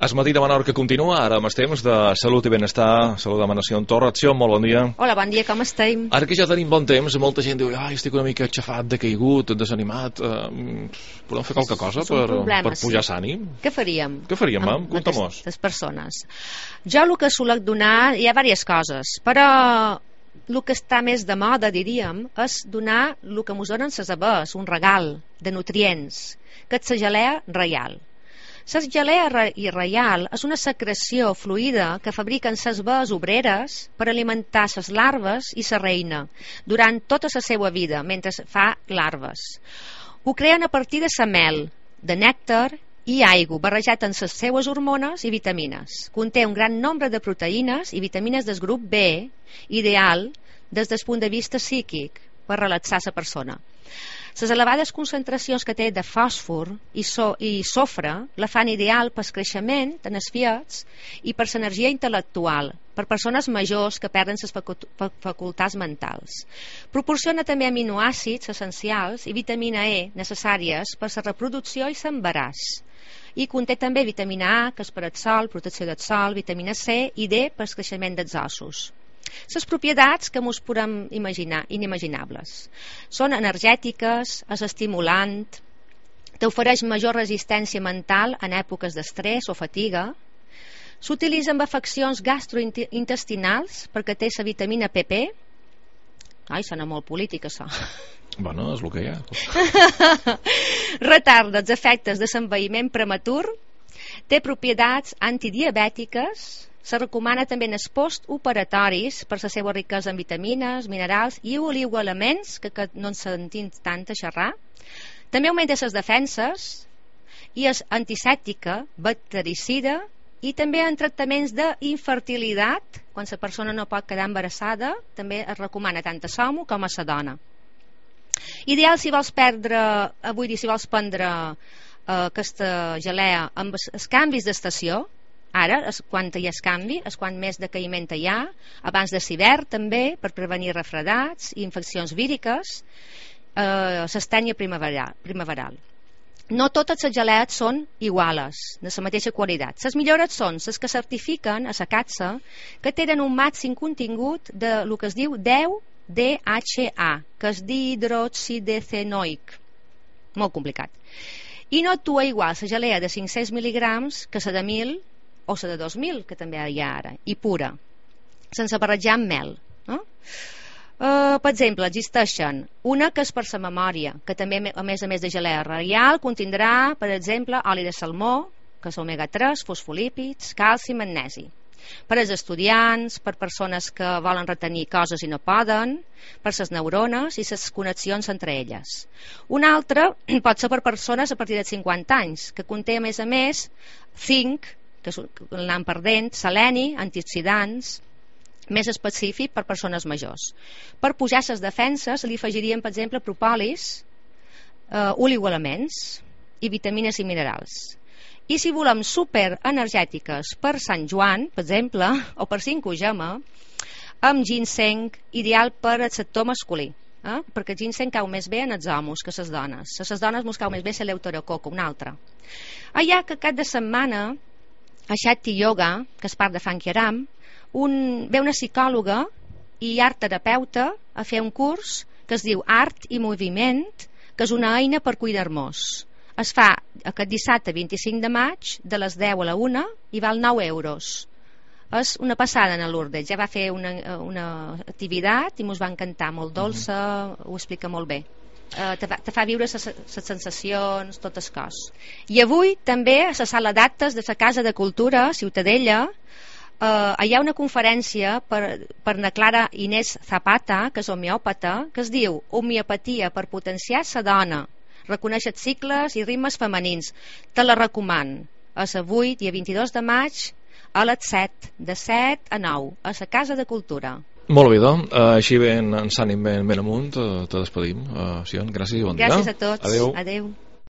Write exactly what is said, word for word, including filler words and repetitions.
Es matí de Menorca continua, ara amb els temps de salut i benestar. Salut de Manació en Torre. Acció, molt bon dia. Hola, bon dia, com estem? Ara que ja tenim bon temps, molta gent diu, ai, estic una mica aixafat, decaigut, desanimat. Uh, podem fer qualque cosa per, per pujar sí. S'ànim? Què faríem? Què faríem, mam? Amb Conta-mos. aquestes persones. Jo el que solec donar, hi ha diverses coses, però el que està més de moda, diríem, és donar el que ens donen les aves, un regal de nutrients, que és la gelea reial. La gelea reial és una secreció fluida que fabriquen les aves obreres per alimentar les larves i la reina durant tota la seva vida, mentre fa larves. Ho creen a partir de la mel, de nèctar i aigua, barrejat amb les seues hormones i vitamines. Conté un gran nombre de proteïnes i vitamines del grup B, ideal des del punt de vista psíquic, per relaxar la persona. Les elevades concentracions que té de fòsfor i, so, i sofre la fan ideal pel creixement en els fiets i per l'energia intel·lectual, per persones majors que perden les facultats mentals. Proporciona també aminoàcids essencials i vitamina E necessàries per la reproducció i l'embaràs. I conté també vitamina A, que és per al sol, protecció del sol, vitamina C i D per al creixement dels ossos. Les propietats que ens podem imaginar, inimaginables. Són energètiques, és estimulant, t'ofereix major resistència mental en èpoques d'estrès o fatiga. S'utilitza en afeccions gastrointestinals perquè té la vitamina P P. Ai, sona molt polític, això. Bueno, és el que hi ha. Retarda els efectes de l'envelliment prematur. Té propietats antidiabètiques. Se recomana també en els postoperatoris per la seva riquesa en vitamines, minerals i oligoelements, que, que no ens sentim tant a xerrar. També augmenta les defenses i és antisèptica, bactericida i també en tractaments d'infertilitat, quan la persona no pot quedar embarassada, també es recomana tant a l'home com a la dona. Ideal si vols perdre, avui dir, si vols prendre eh, aquesta gelea amb els canvis d'estació. Ara, és quan hi ha canvi, és quan més decaïment hi ha, abans de l'hivern també, per prevenir refredats i infeccions víriques, eh, l'estènia primaveral, primaveral. No totes les gelees són iguales, de la mateixa qualitat. Les millores són les que certifiquen a la catsa que tenen un màxim contingut de lo que es diu deu D H A, que és dihidroxidecenoic. Molt complicat. I no actua igual la gelea de cinc-cents mil·ligrams que la de mil o la de dos mil, que també hi ha ara, i pura, sense barrejar amb mel. No? Uh, per exemple, existeixen una que és per la memòria, que també, a més a més de gelea reial, contindrà, per exemple, oli de salmó, que és omega tres, fosfolípids, calci i magnesi. Per als estudiants, per persones que volen retenir coses i no poden, per les neurones i les connexions entre elles. Una altra pot ser per persones a partir de cinquanta anys, que conté, a més a més, zinc, que l'anant perdent, seleni, antioxidants, més específic per persones majors. Per pujar les defenses li afegiríem, per exemple, propòlis, eh, oligoelements i vitamines i minerals. I si volem superenergètiques per Sant Joan, per exemple, o per cinco gema, amb ginseng, ideal per al sector masculí. Eh? Perquè el ginseng cau més bé en els homes que les dones. A les dones ens cau més bé l'eleuterococo, una altra. Allà que cap de setmana a Shakti Yoga, que és part de Funky Aram, un, ve una psicòloga i art terapeuta a fer un curs que es diu Art i Moviment, que és una eina per cuidar-nos. Es fa aquest dissabte vint-i-cinc de maig de les deu a la una i val nou euros. És una passada en Lourdes, ja va fer una, una activitat i mos va encantar, molt dolça, ho explica molt bé. Uh, te, fa, te fa viure les sensacions, tot el cos. I avui també a la sala d'actes de la Casa de Cultura Ciutadella uh, hi ha una conferència per, per na Clara Inés Zapata, que és homeòpata, que es diu Homeopatia per potenciar la dona, reconèixer cicles i ritmes femenins. Te la recomano. És avui, dia vint-i-dos de maig, a les set, de set a nou, a la Casa de Cultura. Molt bé, doncs, uh, així ben, ens anem ben, ben amunt, uh, te despedim. Uh, Sion, gràcies i bon dia. Gràcies a tots. Adéu. Adéu.